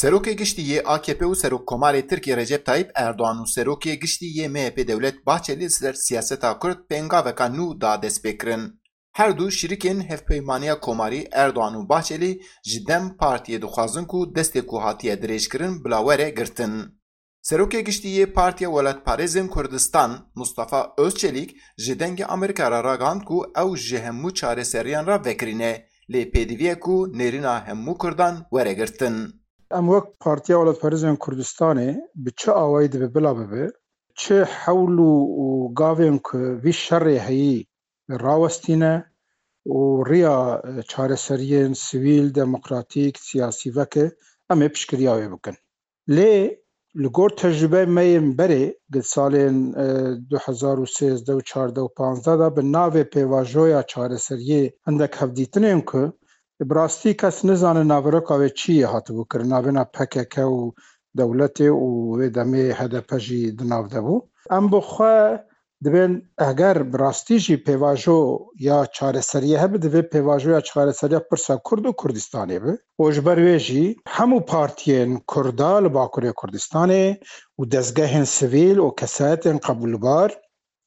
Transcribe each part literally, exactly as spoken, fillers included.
Serokê Giştî yê A K P û Serokkomarê Tirkiyê Recep Tayyip Erdogan û Serokê Giştî yê M H P Devlet Bahçelî li ser siyaseta Kurd pêngaveka nû da destpêkirin. Her du şirîkên Hevpeymaniya Komarî Erdogan û Bahçelî ji DEM Partiyê dixwazin ku destê ku hatiye dirêjkirin bila were girtin. Serokê Giştî yê Partiya Welatparêzên Kurdistan Mustafa Özçelîk ji Dengê Amerîka re ragihand ku ew ji hemû çareseriyan re vekirî ne, lê pêdivî ye ku nêrîna hemû Kurdan were girtin. Em wek Partiya Welatparêzên Kurdistanê bi çi awayî dibe bila bibe, çi hewl û, û gavên ku vî şerê heyî rawestîne û riya, e, çareseriyên sivîl, demokratîk, siyasî veke, em ê piştgiriya wê bikin. Lê li gor tecrûbeyê me yên berê, di salên, e, du hezar û sêzdeh û çardeh û panzdeh de bi navê pêvajoya çareseriyê hindek hevdîtinên ku bi rastî kes nizane naveroka wê çi yê hatibû kirin, navêna P K K û dewletê û wê demê H D P jî di nav de bû. Em bi xwe dibên eger bi rastî jî pêvajo ya çareseriyê hebe, divê pêvajoya çareseriya pirsa Kurd û Kurdistanê be. Û ji ber wê jî hemû partiyên Kurda li Bakurê Kurdistanê û dezgehên sivîl û kesayetên qebûlbar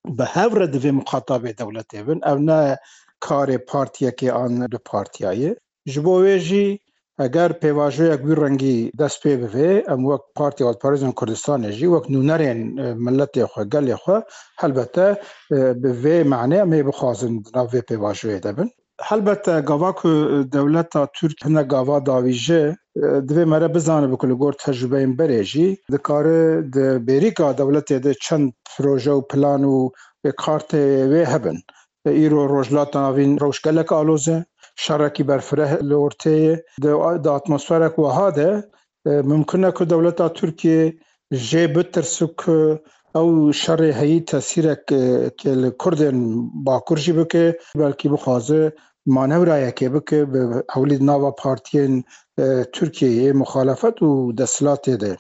bi hev re divê muxatabê dewletê bin. Ev ne karê partiyekê an du partiya ye. Ji bo wê jî eger pêvajoyek wî rengî dest pê bive, em wek Partiya Welatparêzên Kurdistanê jî, wek nûnerên, e, miletê xwe, gelê xwe, helbete, e, bi vê manê em ê bixwazin di nav vê pêvajoyê de bin. Helbete gava ku dewleta Tirk hine gava davîje, e, divê mere bizanibe ku li gor tecrûbeyên berê jî dikare di bêrîka dewletê de çend proje û plan û kartê wê hebin. Îro Rojhilata Navîn rewş gelek aloz e, şerekî berfireh li ortê ye. Di, di atmosferek wiha de, e, mimkun e ku dewleta Tirkiyê jê bitirse ku ew şerê heyî tesîrek, e, ke li Kurdên Bakur jî bike, belkî bixwaze manevrayekê bike, bi hewlî di nava partiyên, e, Tirkiyeyê muxalefet û desthilatê de,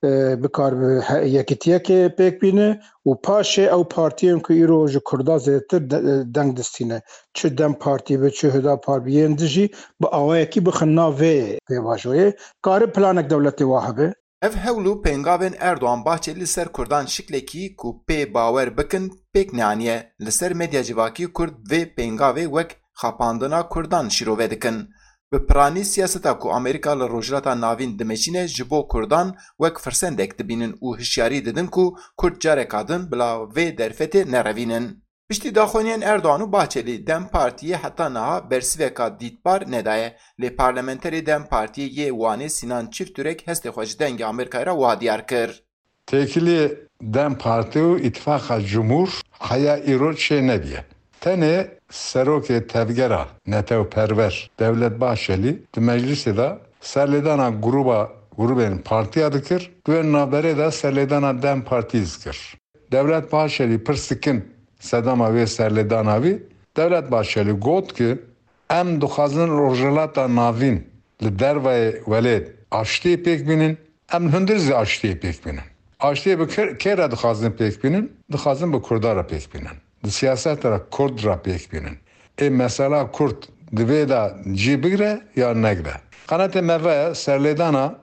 e, bikar bi he-, yekitiyekê pêk bîne û paşê ew partiyên ku îro ji Kurda zêdetir de-, deng distîne, çi DEM Partî be, çi Hüdapar be, yên di jî bi awayekî bixin nav vê pêvajoyê, kare planek dewletê wa hebe. Ev hewl û pêngavên Erdogan Bahçelî li ser Kurdan şiklekî ku pê bawer bikin pêk neaniye. Li ser medya civakî Kurd vê pêngavê wek xapandina Kurdan şîrove dikin. Bi piranî siyaseta ku Amerîka li Rojhilata Navîn dimeşîne ji bo Kurdan wek firsendek dibînin û hişyarî didin ku Kurd careka din bila vê derfetê nerevînin. Piştî daxuyaniyên Erdogan û Bahçelî, DEM Partiyê heta niha bersiveka dîtbar nedaye, lê parlamenterê DEM Partiyê yê Wanê Sinan Çiftürek hestê xwe ji Dengê Amerîkayê re wa diyar kir. Têkiliyê DEM Partî û Îtifaqa Cumhur heya îro çê nebiye. Tenê serokê tevgera netewperwer Devlet Bahçelî di meclisê de serlêdana grûba, grûbên partiya dikir, di wê navberê de serlêdana DEM Partî dikir. Devlet Bahçelî pirs dikin sedema wê serlêdana wî. Devlet Bahçelî got ki, em dixwazin Rojhilata Navîn li dervayê welêt aştiyê pêk bînin, em li hundir zî aştiyê pêk bînin. Aştiyê bi kê, kê re dixwazin pêk bînin? Dixwazin bi Kurda re pêk bînin. Di siyaseta re Kurd re pêk bînin. Ê mesela Kurd di vê de cî bigre ya negre. Qenatê me ve serlêdana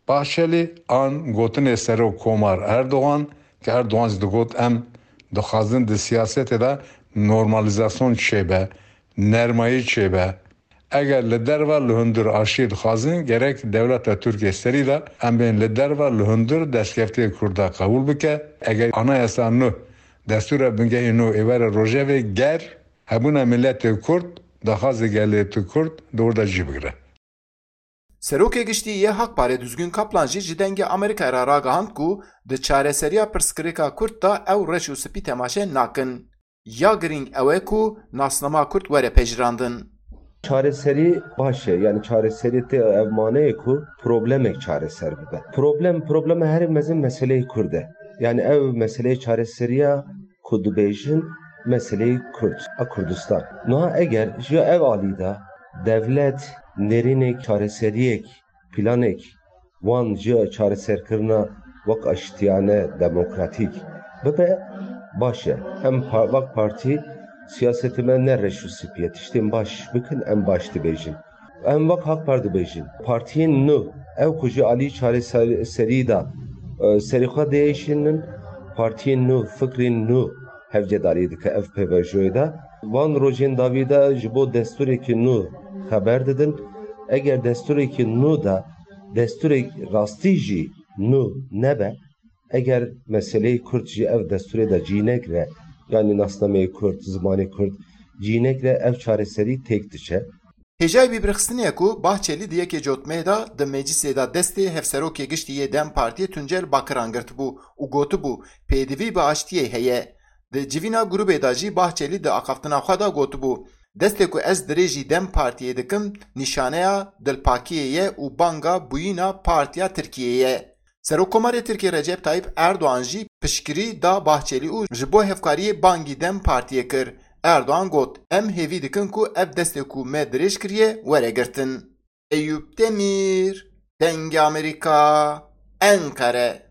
Bahçelî an gotinê Serok Komar Erdogan, ki Erdogan jî digot, em dixwazin di siyasetê de normalîzasyon çêbe, nermayî çêbe. Eger li derve li hundir aştî dixwazin, gerek dewleta Tirkiyê serî de em bên li derve li hundir destkeftiyê Kurda qebûl bike. Eger anayasa nû, destûra bingehî nû ê were rojevê, ger hebûna miletê Kurd, daxwazê gelê Kurd di wir de cî bigire. Serokê Giştî yê Hak Parê Duzgin Kaplan jî ji Dengê Amerîkayê re ragihand ku di çareseriya pirsgirêka Kurd de ew reş û spî temaşe nakin. Ya girîng ew e ku nasnama Kurd were pejirandin. Çareserî baş e, yani çareserî tê ev maneyê ku problemek çareser bibe. Problem, problema herî mezin meseleyê Kurd e. Yani ew meseleyê çareseriya ku dibêjin meseleyê Kurd a Kurdistan. Niha eger ji ev alî de dewlet nêrînek, çareseriyek, planek wan ji çareserkirina wek aştiyane, demokratîk bibe, baş e. Em pa-, wek partî siyasetê me ne reş û spî ye. Tiştên baş bikin, em baş dibêjin. Em wek Hak Par dibêjin, partiyên nû, ew ku ji alî çareserî de, e, serî xwe diêşînin, partiyên nû, fikrên nû hevcedarî dike ev pêvajoyê de. Van rojên dawî de ji bo destûrekî nû xeber didin. Eger destûrekî nû de destûrek rastî jî nû nebe, eger meseleyê Kurd ji ev destûrê de cî negre, yanî nasnameyê Kurd, zimanê Kurd cî negre, ev çareserî têk diçe. Hêjayî bîrxistinê ye ku Bahçelî di yekê Cotmehê de di meclisê de destê Hevserokê Giştî yê DEM Partiyê Tuncel Bakiran girtibû û gotibû, pêdivî bi aştiyê heye. Di civîna grûbê de jî Bahçelî di axaftina xwe de gotibû, destê ku ez dirêjî DEM Partiyê dikim, nîşaneya dilpakiyê ye û banga bûyîna partiya Tirkiyê ye. Serokkomarê Tirkiyê Recep Tayyip Erdoğan jî piştgirî da Bahçelî û ji bo hevkariyê bangî DEM Partiyê kir. Erdoğan got, em hêvî dikin ku ev destê ku me dirêj kiriye were girtin. Eyûp Demîr, Dengê Amerîka, Enqere.